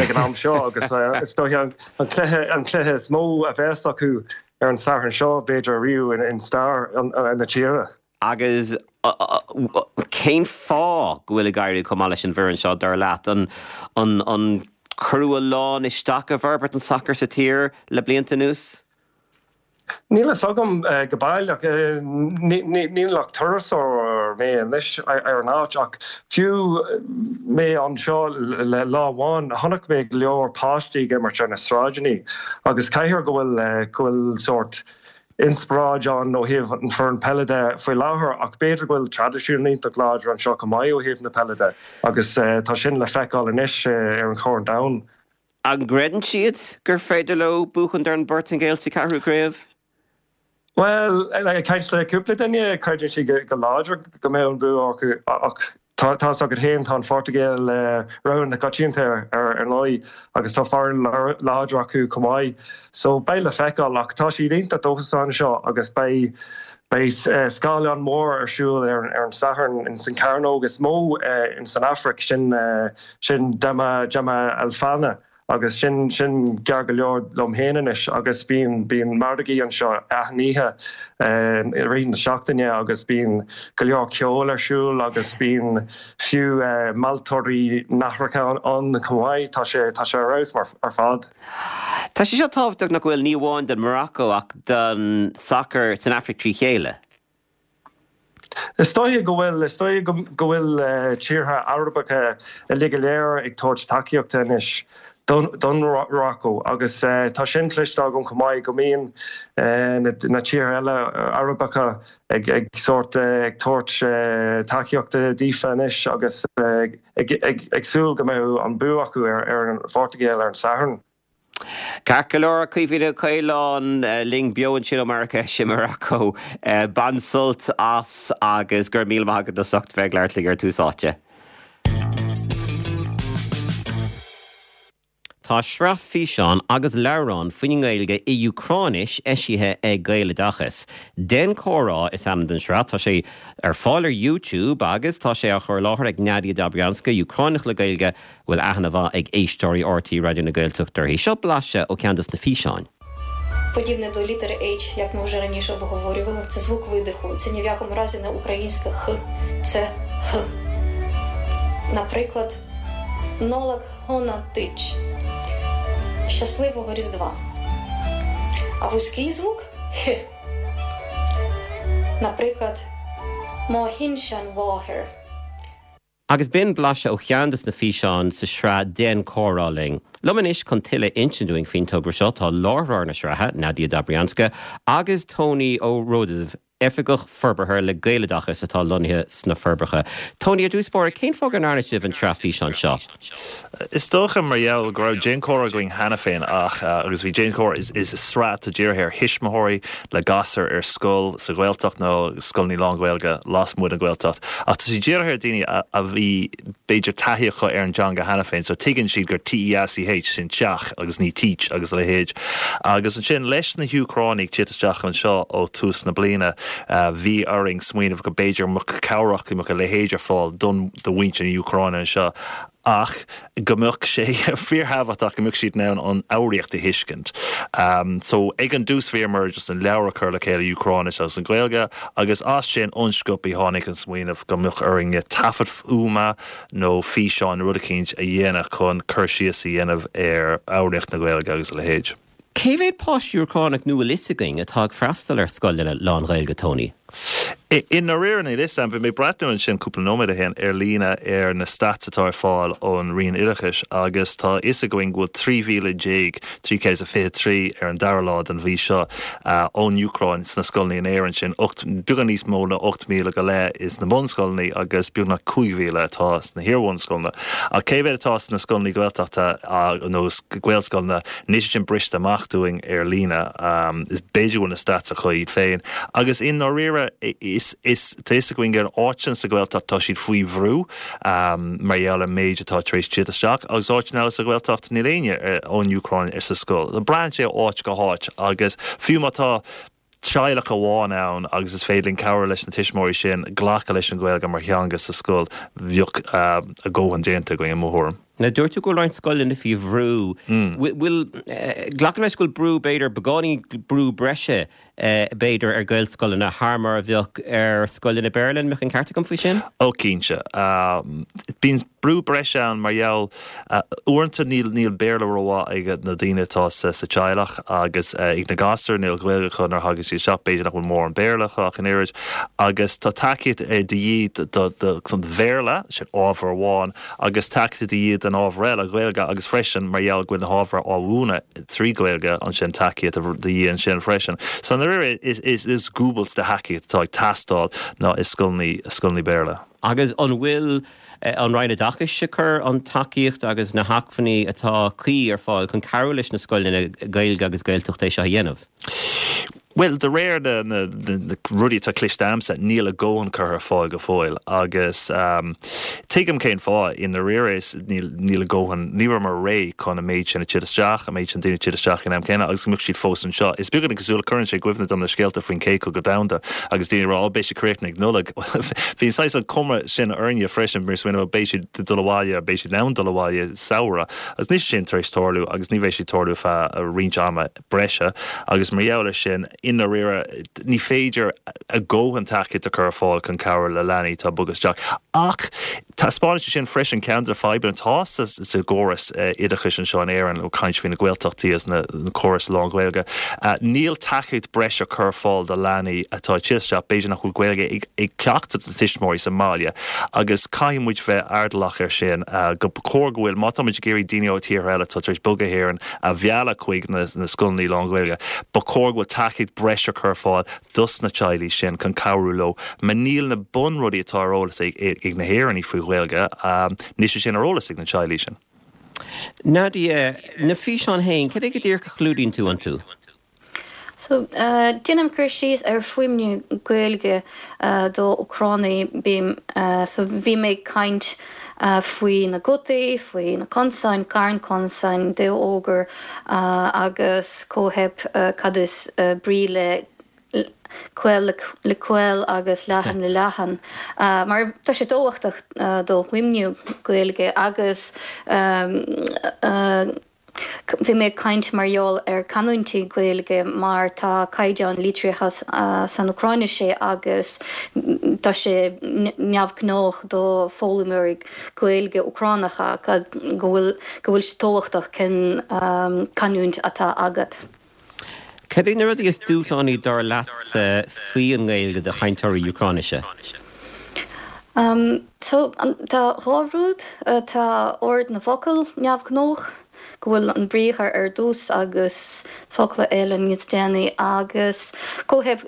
ag an am seo agus is dóiche an cluiche, an cluiche is mó a bheas acu ar an Satharn seo, b'fhéidir ariamh in stair na tíre. Agus cén fáth go bhfuil ag éirí chomh maith leis an bhfoireann seo, dar leat? An, an, an cuireadh a lán isteach i bhforbairt an tsacair sa tír le blianta anuas? Níl a fhios agam go baileach. Níl ach turasóir. mé anois ar an áit ach fiú mé anseo le lá amháin chonaic mé go leor páistí ag imirt ar na sráideanna agus caithfidh go bhfuil go bhfuil sórt inspioráid ann ó thaobh an foireann peile de faoi láthair ach b'fhéidir go bhfuil traidisiún iontach láidir anseo chomh maith ó thaobh na peile de agus tá sin le feiceáil anois ar an Chorn Domhain. An gcreideann siad gur féidir leo buachaint ar an bPortaingéil sa cheathrú craobh? Bhuel, ag caint le cúpla duine, creideann siad go láidir go mbeadh an bua acu ach tá fhios agat féin, tá an Phortaingéil rogha na coitianta ar ndóigh agus tá foireann láidir acu chomh maith. So beidh le feiceáil ach tá siad iontach dóchasach anseo agus beidh beidh scáileán mór ar siúl ar an Satharn ins an cearnóg is mó ins an Afraic, sin sin Jemaa el-Fna. Agus sin, sin gearr go leor liom féin anois agus bíonn, bíonn margaí anseo achan oíche i rith na seachtaine agus bíonn go leor ceoil ar siúl agus bíonn fiú mealltóirí nathracha ann chomh maith. Tá sé, tá sé ar fheabhas mar, ar fad. Tá sé seo tábhachtach nach bhfuil, ní amháin don Morocco ach don sacar san Afraic trí chéile. Is dóiche go bhfuil. Is dóiche go bhfuil tíortha Arabacha uilig go léir ag tabhairt tacaíochta anois don Mhorocco agus tá sin cloiste agam chomh maith go mbíonn na tíortha eile Arabacha ag sórt ag tabhairt tacaíochta daofa anois agus ag súil go mbeidh an bua acu ar an Phortaingéil ar an Satharn. Ceart go leor, Caoimhín Ó Caoláin linn beo ansin ó Marrakesh i Morocco. Bain sult as agus go raibh míle maith agat as ucht bheith ag labhairt linn ar Tús Áite. Tá sraith físeán agus leabhrán faoin nGaeilge i Úcráinis eisithe ag Gaeloideachas. Déan Comhrá is ainm don sraith. Tá sé ar fáil ar YouTube agus tá sé á chur i láthair ag Nadia Dobrianska, Úcráineach le Gaeilge, bhfuil aithne mhaith ag éisteoirí RTÉ Raidió na Gaeltachta uirthi. Seo blaiseadh ó cheann dos na físeáin. Подібне до літери H, як ми вже раніше обговорювали, це звук видиху. Це ні в якому разі не українське Х, це Г. Наприклад, Нолак Гонатич. Щасливого Різдва. А вузький звук Х. Наприклад, Мохіншан Вогер. Agus b'in blaiseadh ó cheann dos na físeáin sa sraith Déan Comhrá Linn. Liom anois chun tuilleadh a insint dúinn faoin togra seo tá láithreoir na sraithe, Nadia Dobrianska, agus Tony Ó Ròdaimh, Oifigeach Forbartha le Gaeloideachas atá lonnaithe sna Forbacha. Tony, ar dtús báire, cén fáth go ndearna sibh an tsraith físeán seo? Is dócha mar gheall go raibh Déan Comhrá againn cheana féin ach, agus bhí Déan Comhrá, is sraith atá dírithe ar thuismitheoirí le gasúir ar scoil sa Ghaeltacht nó scoileanna lán-Ghaeilge lasmuigh den Ghaeltacht ach tá sé dírithe ar daoine a bhí b'fhéidir taithí acu ar an dteanga cheana féin so tuigeann siad gur TEACH sin teach agus ní teach agus a leithéid. Agus ansin leis na hÚcránaigh tíocht isteach anseo ó tús na bliana bhí orainn smaoineamh go b'fhéidir mbeadh cabhrach go mbeadh a leithéid ar fáil don do mhuintir na hÚcráine anseo ach go mbeadh sé fíorthábhachtach go mbeadh siad in ann an fhoghraíocht a thuiscint. So ag an dtús bhíomar just an leabhar a chur le chéile Úcráinis agus an Ghaeilge agus as sin an-sciobtha tháinig an smaoineamh go mbeadh orainne taifead fuaime nó físeán nó rud eicínt a dhéanamh chun cur síos a dhéanamh ar fhoghraíocht na Gaeilge agus a leithéid. Cé mhéad páiste Úcránach nó bhfuil fhios againn atá ag freastal ar scoileanna lán-Ghaeilge, Tony? I ndáiríre níl fhios a'm. Bhí mé ag breathnú ansin cúpla nóiméad ó shin ar líne ar na stats atá ar fáil ón Roinn Oideachais agus tá fhios againn go bhfuil 13,323 ar an dara lá den mhí seo ón Úcráin sna scoileanna in Éirinn, sin beagán níos mó ná 8,000 go leith sna bunscoileanna agus beagnach 5,000 atá sna hiar-bhunscoileanna. Ach cé mhéad atá sna scoileanna Gaeltachta nó Gaelscoileanna? Níl sé sin briste amach dúinn ar líne. Is b'fhéidir go bhfuil na stats acu iad féin. Agus i ndáiríre, is, is, tá fhios againn gur áiteanna sa Ghaeltacht tá siad faoi bhrú mar gheall ar an méid atá tar éis tíocht isteach agus áiteanna eile sa Ghaeltacht níl éinne ón Úcráin ar sa scoil. Braitheann sé ó áit go háit agus fiú má tá teaghlach amháin ann agus is féidir linn cabhrú leis na tuismitheoirí sin glacadh leis an Ghaeilge mar theanga sa scoil, bheadh a dhóthain déanta againn i mo thuairim. Now dúirt tú go bhfuil roinnt scoileanna faoi bhrú. Bhfuil, glacaim leis go bhfuil brú b'fhéidir, beagáinín brú breise b'fhéidir ar Ghaelscoileanna thar mar a bheadh ar scoileanna Béarla, an mbeadh an ceart agam faoi sin? Ó cinnte. Bíonn brú breise ann mar gheall, uaireanta níl níl Béarla rómhaith ag na daoine atá sa sa teaghlach agus ag na gasúir, níl Gaeilge acu nuair a thagann siad isteach, b'fhéidir nach bhfuil mórán Béarla acu ach an oiread agus tá tacaíocht de dhíth do do don Bhéarla, sin ábhar amháin, agus tacaíocht de dhíth don ábhar eile, Gaeilge, agus freisin mar gheall go bhfuil na hábhair á mhúineadh trí Ghaeilge, ansin tacaíocht de dhíth ansin freisin. So i ndáiríre is is dúbailt de thacaíocht atá ag teastáil ná i scoileanna scoileanna Béarla. Agus an bhfuil an Roinn Oideachais ag cur an tacaíocht agus na hacmhainní atá cuí ar fáil chun cabhrú leis na scoileanna Gaeilge agus Gaeltachta é seo a dhéanamh? Bhuel, de réir na rudaí atá cloiste agamsa, níl a dhóthain curtha ar fáil go fóill agus tuigim cén fáth. I ndáiríre, is níl níl a dhóthain, ní rabhamar réidh chun an méid sin a tigh isteach, an méid sin daoine a tigh isteach ag an am céanna agus go mbeadh siad fós anseo. Is beagán cosúil, cuireann sé i gcuimhne dom na scéalta faoin Chéad Chogadh Domhanda agus daoine ag rá, oh beidh sé críochnaithe ag Nollaig. Bhí an saghas an cuma sin orainne freisin, mar smaoineamh, beidh siad ag dul abhaile, beidh siad in ann dul abhaile samhradh agus níl sé sin tar éis tarlú agus ní bheidh sé ag tarlú feadh roinnt ama. breise agus mar gheall air sin, i ndáiríre, ní féidir a dhóthain tacaíocht a chur ar fáil chun cabhrú le leanaí atá ag bogadh isteach. Ach taispeánann sé sin freisin ceann de na fadhbanna atá sa gcóras oideachais anseo in Éirinn, ag caint faoi na Gaeltachtaí agus na córais lán-Ghaeilge. Níl tacaíocht breise curtha ar fáil do leanaí atá ag teacht isteach, b'fhéidir nach bhfuil Gaeilge ag ceachtar de na tuismitheoirí sa mbaile agus caithfidh muid bheith airdeallach air sin, go cóir go bhfuil, má tá muid ag iarraidh daoine ó tíortha eile atá tar éis bogadh go hÉirinn, a mhealladh chuig na scoileanna lán-Ghaeilge. Ba chóir go bhfuil tacaíocht breise curtha ar fáil dos na teaghlaigh sin chun cabhrú leo mar níl na bunrudaí atá ar eolas ag na hÉireannaigh faoi Ghaeilge, níl sé sin ar eolas ag na teaghlaigh sin. Nadia, na físeáin féin, cad é go díreach a chlúdaíonn tú iontu? So, déanaim cur síos ar fuaimniú Gaeilge do Úcránaigh. Bím, so bhí mé ag caint faoi na gutaí, faoi na consain, carn consain, damhógair agus cóicheap cad is brí le caol le caol agus leathan le leathan. Mar tá sé tábhachtach do fhuaimniú Gaeilge agus Bhí mé ag caint mar gheall ar canúintí Gaeilge mar tá caighdeán litrithe san Úcráinis agus tá sé neamhghnách do foghlaimeoirí Gaeilge Úcránacha go bhfuil go bhfuil sé tábhachtach cén canúint atá agat. Cad é na rudaí is dúshlánaí dar leatsa faoi an nGaeilge do chainteoirí Úcráinise? So, tá dhá rud. Tá ord na bhfocal neamhghnách, go bhfuil an briathar ar dtús agus focla eile níos déanaí, agus cóicheap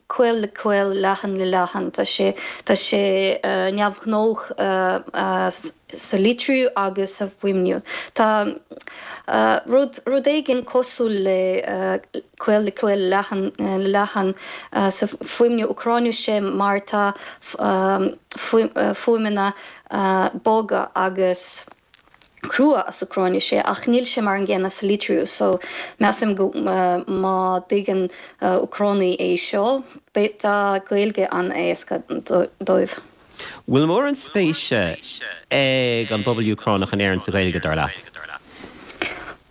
caol le caol, leathan le leathan. Tá sé, tá sé neamhghnách sa litriú agus sa bhfuaimniú. Tá rud, rud éigin cosúil le caol le caol, leathan le leathan sa bhfuaimniú Úcráinise mar tá fuaimeanna boga agus crua as Úcráinis ach níl sé mar an gcéanna sa litriú so measaim go má dtuigeann Úcránaigh é seo beidh tá Gaeilge an-éasca dóibh. Bhfuil mórán spéise ag an bpobal Úcránach in Éirinn sa Ghaeilge, dar leat?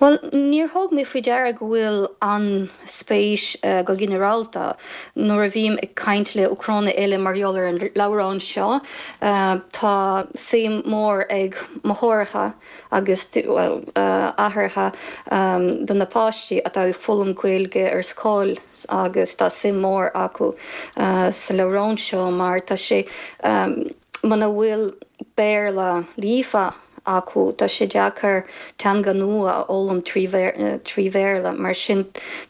Bhuel, níor thug mé faoi deara go bhfuil an-spéis go ginearálta. Nuair a bhím ag caint le Úcránaigh eile mar gheall ar an leabhrán seo, tá suim mór ag máithreacha agus, bhuel, aithreacha do na páistí atá ag foghlaim Gaeilge ar scoil agus tá suim mór acu sa leabhrán seo mar tá sé, muna bhfuil Béarla líofa acu, tá sé deacair teanga nua a fhoghlaim trí Bhéarla. Mar sin,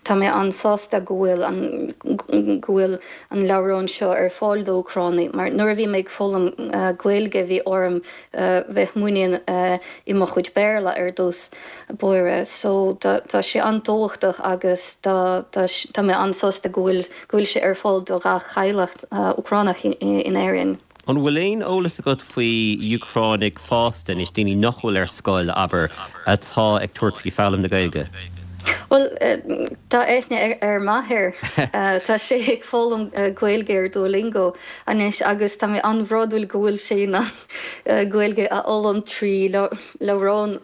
tá mé an-sásta go bhfuil an go bhfuil an leabhrán seo ar fáil d'Úcránaigh, mar nuair a bhí mé ag foghlaim Gaeilge bhí orm bheith muinín i mo chuid Béarla ar dtús báire. So tá sé an-tábhachtach agus tá tá mé an-sásta go bhfuil go bhfuil sé ar fáil do gach teaghlach Úcránach in Éirinn. An bhfuil aon eolas agat faoi Úcránaigh fásta anois, daoine nach bhfuil ar scoil, abair, atá ag tabhairt faoi foghlaim na Gaeilge? Bhuel, tá aithne ar m'athair. Tá sé ag foghlaim Gaeilge ar Duolingo anois agus tá mé an-bhródúil go bhfuil sé in ann Gaeilge a fhoghlaim trí leabhrán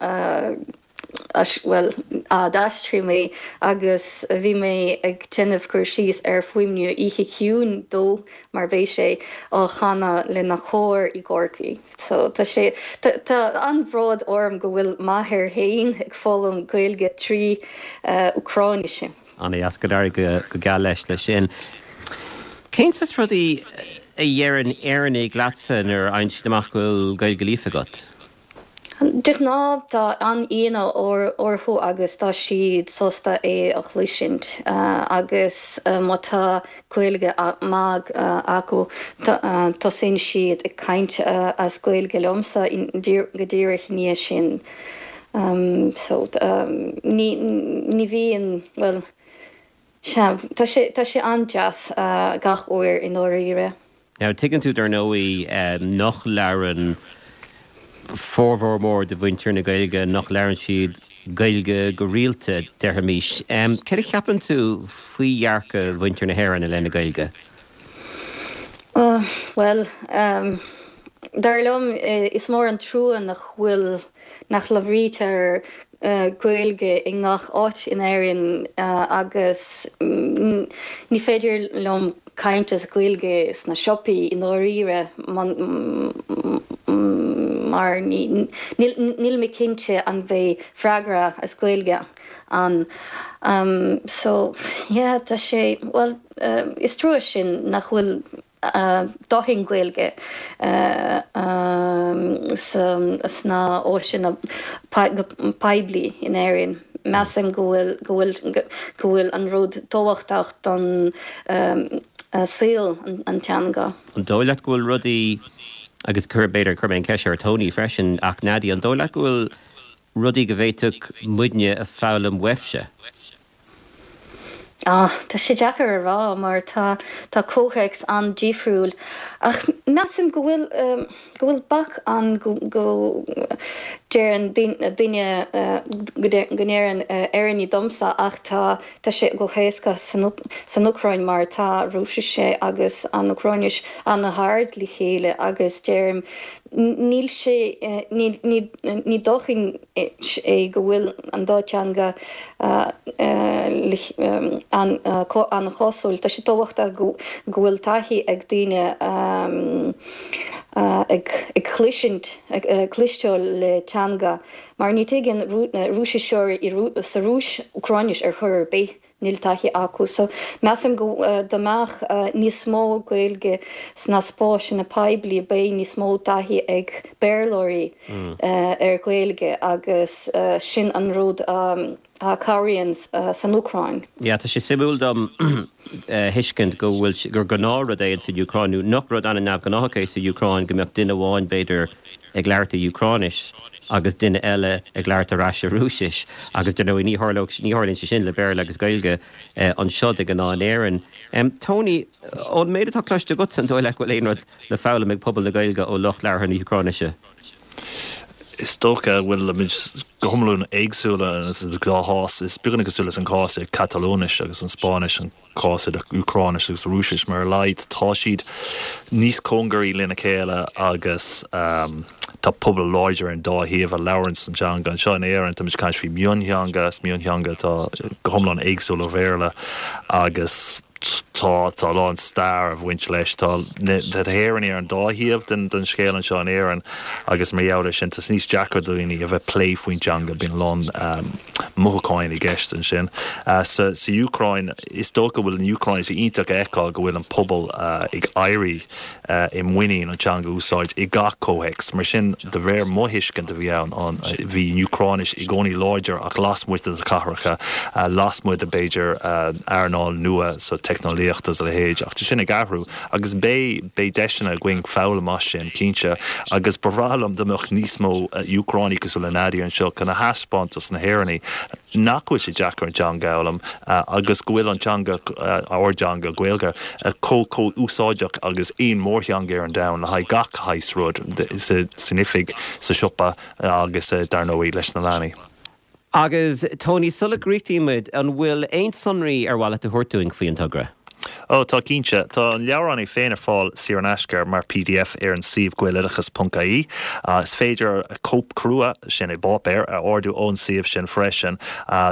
bhuel, a d'aistrigh mé agus bhí mé ag déanamh cur síos ar fuaimniú Oíche Chiúin dó mar beidh sé á chanadh lena chór i gCorcaigh. So tá sé, tá an-bhród orm go bhfuil m'athair féin ag foghlaim Gaeilge trí Úcráinis. An-deas, go n-éirí go geal leis leis sin. Cén saghas rudaí a dheireann Éireannaigh leatsa nuair a fhaigheann siad amach go bhfuil Gaeilge líofa agat? De ghnáth tá an-ionadh orthu agus tá siad sásta é a chloisint agus má tá Gaeilge maith acu tosaíonn siad ag caint as Gaeilge liomsa go díreach i ndiaidh sin. So ní ní bhíonn, bhuel, sea, tá sé tá sé an-deas gach uair i ndáiríre. Now, tuigeann tú, dar ndóigh, nach labhrann formhór mór de mhuintir na Gaeilge, nach labhrann siad Gaeilge go rialta, déarfaimis. Céard a cheapann tú faoi dhearcadh mhuintir na hÉireann i leith na Gaeilge? Bhuel, dar liom, is mór an trua nach bhfuil, nach labhraítear Gaeilge i ngach áit in Éirinn agus ní féidir liom caint as Gaeilge sna siopaí i ndáiríre mar níl mé cinnte an mbeidh freagra as Gaeilge ann. So yeah tá sé, bhuel is trua sin nach bhfuil dóthain Gaeilge sna áiteanna poiblí in Éirinn. Measaim go bhfuil go bhfuil go bhfuil an rud tábhachtach don saol an teanga. An dóigh leat go bhfuil rudaí, agus b'fhéidir cuirfidh mé an cheist ar Tony freisin, ach Nadia, an dóigh leat go bhfuil rudaí go bhféadfadh muidne a foghlaim uaibhse? Ah, tá sé deacair a rá mar tá tá comhthéacs an-difriúil ach measaim go bhfuil go bhfuil bac ann go go deireann duine go ndeireann Éireannaigh domsa ach tá tá sé go héasca san san Úcráin mar tá Rúisis agus an Úcráinis an-ghar le chéile agus deirim níl sé ní ní ní dóthain é go bhfuil an dá teanga an-chosúil. Tá sé tábhachtach go bhfuil taithí ag daoine ag cloisint, ag cloisteáil le teanga mar ní tuigeann Rúisiseoirí sa Rúis Úcráinis ar chor ar bith. Níl taithí acu. So, measaim go dá mbeadh níos mó Gaeilge sna spásanna poiblí beidh níos mó taithí ag Béarlóirí ar Ghaeilge agus sin an rud a chabhraíonn san Úcráin. Yeah, tá sé suimiúil dom a thuiscint go bhfuil, gur gnáthrud é insan Úcráin, nó nach rud an-neamhghnáthach é sa Úcráin go mbeadh duine amháin, b'fhéidir, ag labhairt i Úcráinis agus duine eile ag labhairt ar ais i Rúisis agus dar ndóigh ní tharlódh, ní tharlaíonn sé sin le Béarla agus Gaeilge anseo de ghnáth in Éirinn. Tony, ón méid atá cloiste agatsa, an dóigh leat go bhfuil aon rud le foghlaim ag pobal na Gaeilge ó lucht labhartha na hÚcráinise? Is dócha go bhfuilimid go hiomlán éagsúla sa dá chás. Is beagán cosúil leis an cás i Catalóinis agus an Spáinnis, an cás idir Úcráinis agus Rúisis, mar ar a laghad tá siad níos cóngaraí lena chéile agus tá pobal láidir ar an dá thaobh a labhrann an teanga. Anseo in Éirinn táimid ag caint faoi mhiontheanga, is miontheanga atá go hiomlán éagsúil ó Bhéarla agus tá tá a lán stair a bhaint leis. Tá na hÉireannaigh ar an dá thaobh den den scéal anseo in Éirinn agus mar gheall air sin tá sé níos deacra do dhaoine a bheith plé faoin teanga, bíonn a lán mothúcháin i gceist ansin. Sa Úcráin, is dócha go bhfuil an Úcráin, is iontach a fheiceáil go bhfuil an pobal ag éirí i muinín an teanga a úsáid i gach comhthéacs. Mar sin, de réir mo thuiscint a bhí ann, bhí an Úcráinis i gcónaí láidir ach lasmuigh de na cathracha, lasmuigh de b'fhéidir earnáil nua sa teicneolaíocht agus a leithéid. Ach tá sin ag athrú agus beidh beidh deiseanna againn foghlaim as sin, cinnte. Agus ba bhreá liom dá mbeadh níos mó Úcránaigh cosúil le Nadia anseo chun a thaispeáint dos na hÉireannaigh nach bhfuil sé deacair an teanga a fhoghlaim agus go bhfuil an teanga, ár dteanga, Gaeilge, chomh chomh úsáideach agus aon mórtheanga ar an domhan le haghaidh gach shaghas rud, san oifig, sa siopa agus dar ndóigh leis na leanaí. Agus Tony, sula gcríochnaíonn muid, an bhfuil aon sonraí ar mhaith leat a thabhairt dúinn faoi an togra? Ó, tá cinnte. Tá an leabhrán é féin ar fáil saor in aisce mar pdf ar an suíomh gaeloideachas.ie. Is féidir cóip crua, sin i bpáipéar, a ordú ón suíomh sin freisin.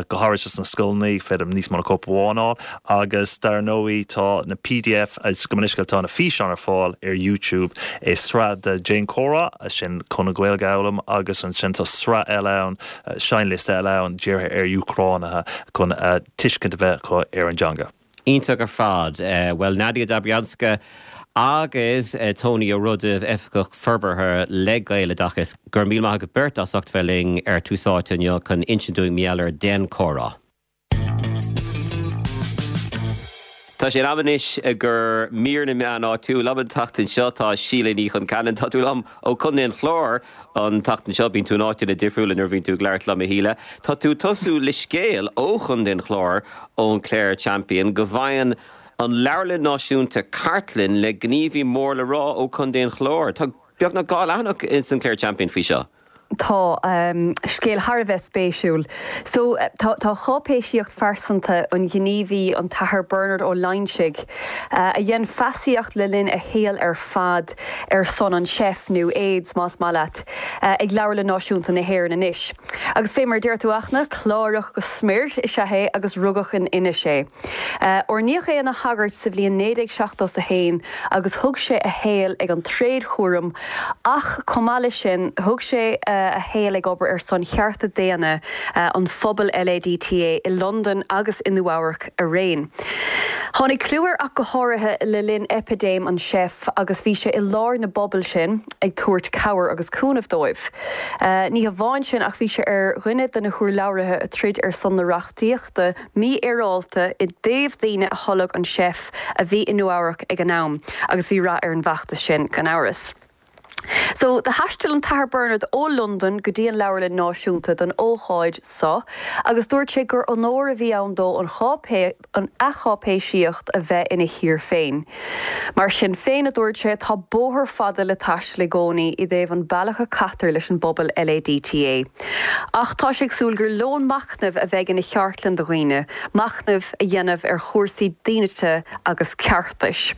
Go háirithe sna scoileanna, féidir níos mó ná cóip amháin a fháil. Agus dar ndóigh tá na pdf, gabh mo leithscéal, tá na físeáin ar fáil ar YouTube i sraith de Déan Comhrá, sin chun an Ghaeilge a fhoghlaim, agus ansin tá sraith eile ann, seinnliosta eile ann dírithe ar Úcránaithe chun tuiscint a bheith acu ar an dteanga. Iontach ar fad. Bhuel, Nadia Dobryanska agus Tony Ó Rudaimh, Oifigeach Forbartha le Gaeloideachas, go raibh míle maith agaibh beirt as ucht bheith linn ar Tús Áite inniu chun insint dúinn mar gheall ar Déan Comhrá. Tá sé in am anois do mhír na meán áitiúil. Liom an tseachtain seo tá Síle Ní Chonceanainn. Tá tú liom ó Chontae an Chláir an tseachtain seo. Bíonn tú in áiteanna difriúla nuair a bhíonn tú ag labhairt liom, a Shíle. Tá tú ag tosú le scéal ó Chontae an Chláir ón Clare Champion go bhfaigheann an Leabharlann Náisiúnta cartlann le gníomhaí mór le rá ó Chontae an Chláir. Tá beagnach 2 leathanach ins an Clare Champion faoi seo. Tá. Scéal thar a bheith spéisiúil. So, tá cháipéisíocht phearsanta an ghníomhaí, an tAthair Bernard Ó Loingsigh, a dhein feasaíocht le linn a shaoil ar fad ar son an seif, nó AIDS más maith leat, ag Leabharlann Náisiúnta na hÉireann anois. Agus fé mar a deir tú, a Fhachtna, Clárach go smior is ea é agus rugadh in Inis é. Oirníodh é ina shagart sa bhliain 1971 agus thug sé a shaol ag an tréadchúram ach chomh maith leis sin thug sé a shaol ag obair ar son chearta daonna an phobail LADTA i Londain agus i Nua-Eabhrac araon. Tháinig clú air ach go háirithe le linn eipidéim an seif agus bhí sé i lár na bpobal sin ag tabhairt cabhair agus cúnamh dóibh. Ní hamháin sin ach bhí sé ar dhuine de na hurlabhraithe a troid ar son na reachtaíochta mífhéaráilte i dtaobh daoine a tholg an seif a bhí i Nua-Eabhrac ag an am agus bhí rath ar an bhfeachtas sin, gan amhras. So, do thaistil an tAthair Bernard ó Londain go dtí an Leabharlann Náisiúnta don ócáid so agus dúirt sé gur onóir a bhí ann dó an an cháipéisíocht a bheith ina thír féin. Mar sin féin, a dúirt sé, tá bóthar fada le taisteal i gcónaí i dtaobh an bealach a caitear leis an bpobal LADTA. Ach tá sé ag súil gur lón machnaimh a bheidh ina cheartlann do dhaoine, machnamh a dhéanamh ar chúrsaí dínite agus ceartais.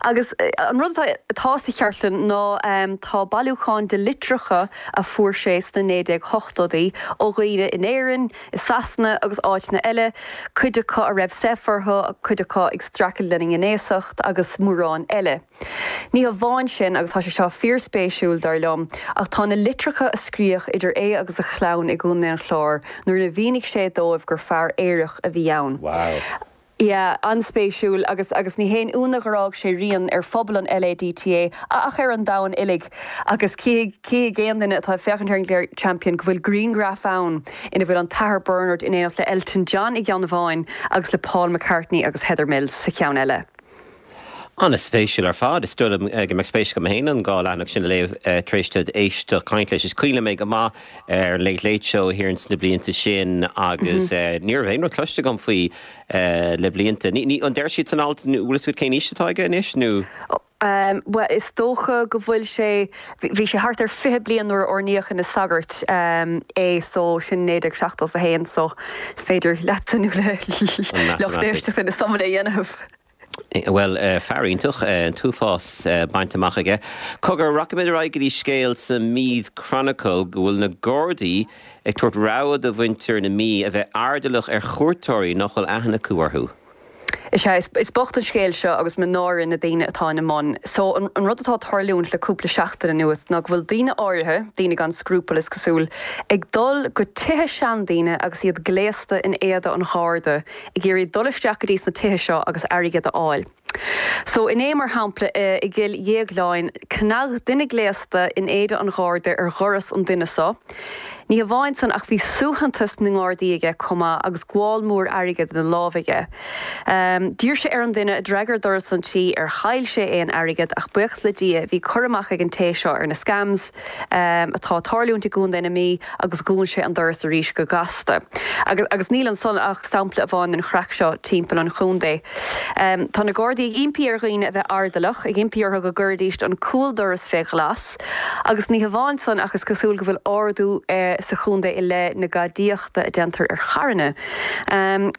Agus an rud atá sa cheartlann ná tá bailiúchán de litreacha a fuair sé sna 1980idí ó dhaoine in Éirinn, i Sasana agus áiteanna eile, cuid acu a raibh seif orthu, cuid acu ag streachailt lena ngnéasacht agus mórán eile. Ní hamháin sin, agus tá sé seo fíorspéisiúil, dar liom, ach tá na litreacha a scríodh idir é agus a chlann i gContae an Chláir nuair a mhínigh sé dóibh gur fear aerach a bhí ann. Wow. Yeah, an-spéisiúil agus agus ní haon ionadh gur fhág sé rian ar phobal an LADTA ach ar an domhan uilig agus cífidh cífidh aon duine atá ag féachaint ar an gClare Champion go bhfuil grianghraf ann ina bhfuil an tAthair Bernard in éineacht le Elton John i gceann amháin agus le Paul McCartney agus Heather Mills sa cheann eile. An-spéisiúil ar fad. Is dóigh liom go mbeadh spéis agam féin an 2 leathanach sin a léamh tar éis duit éisteacht caint leis. Is cuimhin liom é go maith ar an Late Late Show thiar ins na blianta sin agus ní raibh aon rud cloiste agam faoi le blianta. Ní, an deir siad san alt, bhfuil fhios agat cén aois atá aige anois nó? Bhuel, is dócha go bhfuil sé, bhí sé thart ar 20 bliain nuair a oirníodh ina sagart é so sin 1971 so is féidir leatsa nó le lucht éisteachta na suimeanna a dhéanamh. Bhuel, fear iontach, an t-uafás bainte amach aige. Cogar, rachaimid ar aghaidh go dtí scéal sa Meath Chronicle go bhfuil na Gardaí ag tabhairt rabhadh do mhuintir na Mí a bheith airdeallach ar chuairteoirí nach bhfuil aithne acu orthu. Is ea, is bocht an scéal seo agus mo náire na daoine atá ina mbun. So, an rud atá ag tarlúint le cúpla seachtain anuas ná go bhfuil daoine áirithe, daoine gan scrupall is cosúil, ag dul go tithe seandaoine agus iad gléasta in éada an Gharda ag iarraidh dul isteach go dtí sna tithe seo agus airgead a fháil. So, inné, mar shampla, i gCill Dhéagláin, chnag duine gléasta in éide an Gharda ar dhoras an duine so. Ní hamháin san ach bhí suaitheantas na nGardaí aige chomh maith agus gabhál mór airgid ina lámh aige. D'iarr sé ar an duine a d'fhreagair doras an tí ar chaill sé aon airgead ach buíochas le Dia bhí cur amach ag an té seo ar na scams atá ag tarlúint i gContae na Mí agus dhún sé an doras arís go gasta. Agus agus níl ansan ach sampla amháin den chraic seo timpeall an chontae. Tá na Gardaí ag impí ar dhaoine a bheith airdeallach, ag impí orthu go gcuiridíst an cúldoras fé ghlas. Agus ní hamháin san ach is cosúil go bhfuil ardú. sa chontae i leith na gadaíochta a déantar ar charranna.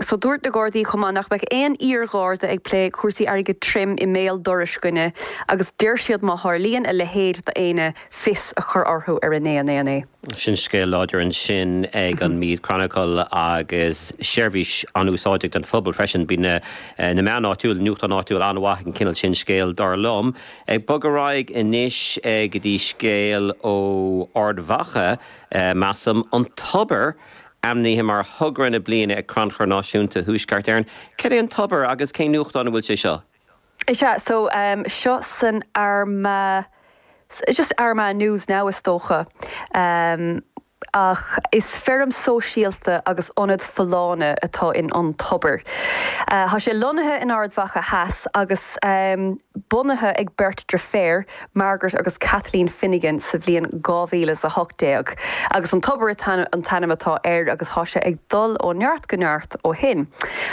So dúirt na Gardaí chomh maith nach mbeadh aon iar-Gharda ag plé cúrsaí airgid tirim i mbéal dorais dhuine agus deir siad má tharlaíonn a leithéid d'éinne fios a chur orthu ar 9 9 9. Sin scéal láidir ansin ag an Meath Chronicle agus seirbhís an-úsáideach don phobal freisin. Bíonn na meáin áitiúil, nuachtán áitiúil an-mhaith ag an chineál sin scéil dar liom. Ag bogadh ar aghaidh anois go dtí scéal ó Ard Mhacha, measaim, An Tobar ainmnithe mar thogra na bliana ag Crannchur Náisiúnta Thuaisceart Éireann. Cad é An Tobar agus cén nuachtán a bhfuil sé seo? Is ea, so seo san Armagh, just Armagh News now is dócha. Ach is feirm sóisialta agus ionad folláine atá in An Tobar. Tá sé lonnaithe in Ard Mhacha Theas agus bunaithe ag beirt driféar, Margaret agus Kathleen Finnegan sa bhliain 2018. Agus An Tobar an t-ainm atá air agus tá sé ag dul ó neart go neart ó shin.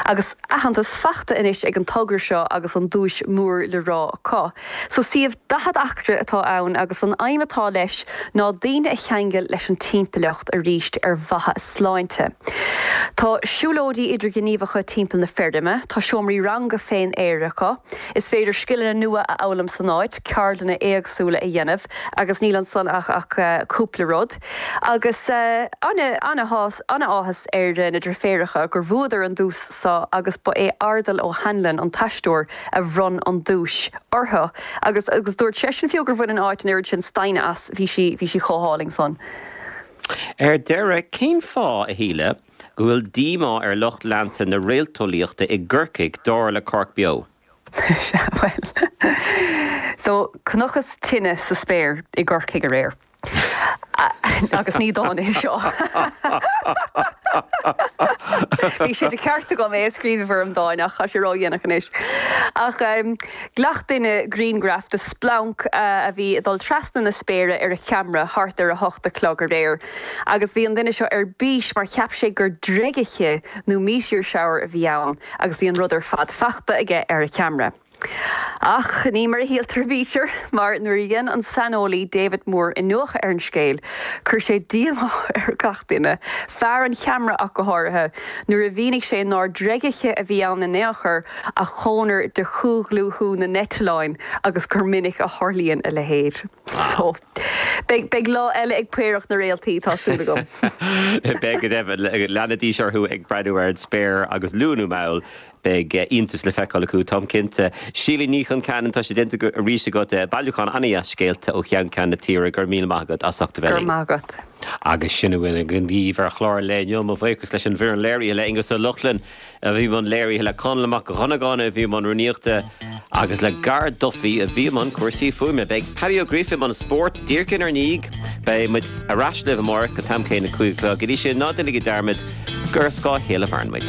Agus aitheantas fachta anois ag an togra seo agus an duais mór le rá acu. So suíomh 40 acra atá ann agus an aidhm atá leis ná daoine a cheangal leis an timpeallacht arís ar mhaithe a sláinte. Tá siúlóidí idirghníomhacha timpeall na feirme, tá seomraí ranga fén aer acu, is féidir scileanna nua a fhoghlaim san áit, ceardlanna éagsúla a dhéanamh agus níl ansan ach ach cúpla rud. Agus ana-áthas ar na driféaracha gur bhuadar an duais so agus ba é Ardal O'Hanlon an t-aisteoir a bhronn an duais orthu agus agus dúirt seisean fiú gur bhain an áit an oiread sin stain as, bhí sí bhí sí chomh hálainn san. Ar deireadh, cén fáth, a Shíle, go bhfuil díomá ar lucht leanta na réalteolaíochta i gCorcaigh, dar le Cork Beo? Sea, bhuel, so chonacthas tine sa spéir i gCorcaigh aréir. Agus ní dán é seo. Bhí sé de cheart agam é a scríobh i bhfoirm dáin ach tá sé ródhéanach anois. Ach ghlac duine grianghraf de splanc a bhí ag dul trasna na spéire ar a cheamara thart ar 8 a chlog aréir agus bhí an duine seo ar bís mar cheap sé gur dreigechith nó meteor shower a bhí ann agus bhí an rud ar fad fachta aige ar a cheamara. Ach ní mar a shíltear a bhítear, mar nuair a dhein an saineolaí David Moore iniúchadh ar an scéal, chuir sé díomá ar gach duine, fear an cheamara ach go háirithe, nuair a mhínigh sé nár dreigechith a bhí ann in aon chor ach conair de chomhdhlúthú na n-eitleáin agus gur minic a tharlaíonn a leithéid. So, beidh, beidh lá eile ag Paorach na Réaltaí, tá súil agam. Beidh go deimhin. Leanfaidís orthu ag breathnú ar an spéir agus luath nó mall, Beidh iontas le feiceáil acu, táim cinnte. Síle Ní Chonceanainn, tá sé déanta arís agat. Bailiúchán an-dheas scéalta ó cheann ceann na tíre. Go raibh míle maith agat as ucht a bheith linn. Go raibh maith agat. Agus sin a bhfuil againn daoibh ar chlár an lae inniu. Mo bhuíochas leis an bhfoireann léirithe, le Aonghus Ó Lochlainn a bhí i mbun léirithe, le Conall Mac Dhonnagáin a bhí i mbun rúnaíochta agus le Gar Duffy a bhí i mbun cúrsaí fuaime. Beidh Paddy Ó Gríofa i mbun spóirt díreach inár ndiaidh. Beidh muid ar ais libh amárach an t-am céanna, 5 a chlog. Go dtí sin, ná déanaigí dearmad gur ar scáth a chéile a mhaireann muid.